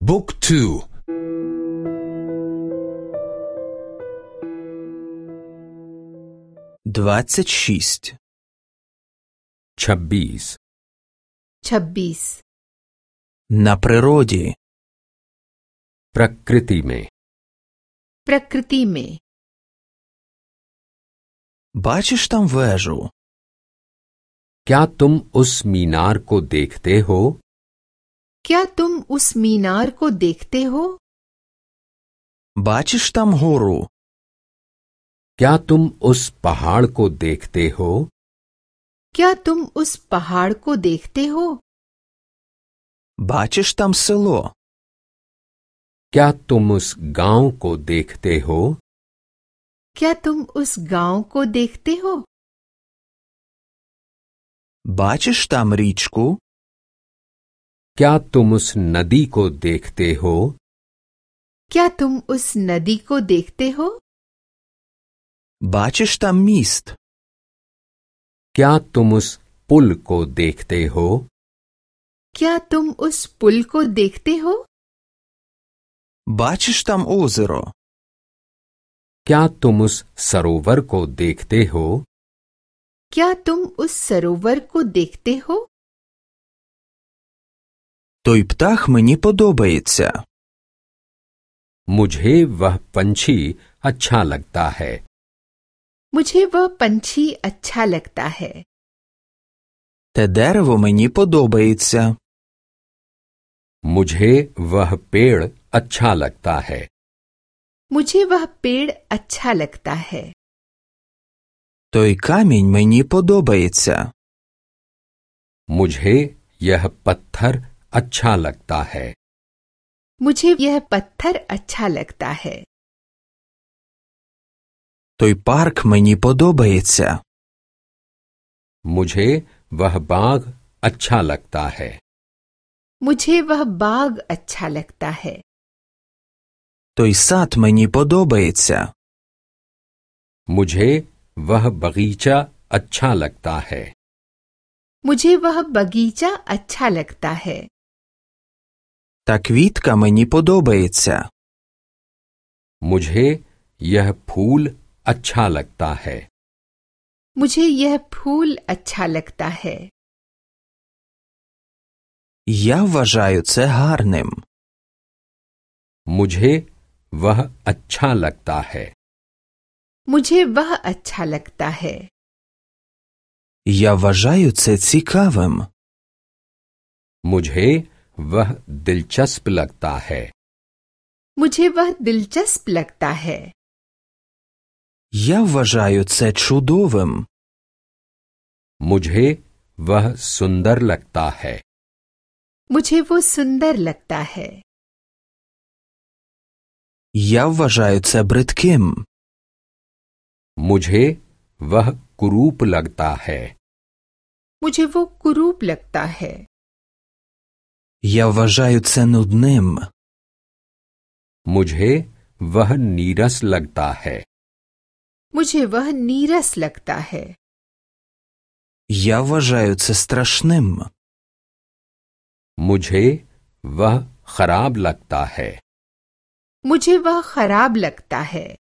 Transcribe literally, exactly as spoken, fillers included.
Book two. Двадцать шесть. छब्बीस छब्बीस На природе. प्रकृति में प्रकृति में Бачиш там вежу? क्या तुम उस मीनार को देखते हो? क्या तुम उस मीनार को देखते हो? Бачиш там гору? क्या तुम उस पहाड़ को देखते हो? क्या तुम उस पहाड़ को देखते हो? Бачиш там село? क्या तुम उस गांव को देखते हो? क्या तुम उस गांव को देखते हो? Бачиш там річку? क्या तुम उस नदी को देखते हो? क्या तुम उस नदी को देखते हो? Бачиш там міст? क्या तुम उस पुल को देखते हो? क्या तुम उस पुल को देखते हो? Бачиш там озеро? क्या तुम उस सरोवर को देखते हो? क्या तुम उस सरोवर को देखते हो? Той птах мені подобається. मुझे वह पंछी अच्छा लगता है। मुझे वह पंछी अच्छा लगता है। Те дерево мені подобається. मुझे वह पेड़ अच्छा लगता है। मुझे वह पेड़ अच्छा लगता है। Той камінь мені подобається. मुझे यह पत्थर अच्छा लगता है। मुझे यह पत्थर अच्छा लगता है। Той парк мені подобається. मुझे वह बाग अच्छा लगता है। मुझे वह बाग अच्छा लगता है। Той сад мені подобається. मुझे वह बगीचा अच्छा लगता है। मुझे वह बगीचा अच्छा लगता है। Та квітка мені подобається. मुझे यह फूल अच्छा लगता है। मुझे यह फूल अच्छा लगता है। Я вважаю це гарним. मुझे वह अच्छा लगता है। मुझे वह अच्छा लगता है। Я вважаю це цікавим. मुझे वह दिलचस्प लगता है। मुझे वह दिलचस्प लगता है। Я вважаю це чудовим. मुझे वह सुंदर लगता है। मुझे वो सुंदर लगता है। Я вважаю це бридким. मुझे वह कुरूप लगता है। मुझे वो कुरूप लगता है। Я вважаю це нудним. मुझे वह नीरस लगता है। मुझे वह नीरस लगता है। Я вважаю це страшним. मुझे वह खराब लगता है। मुझे वह खराब लगता है।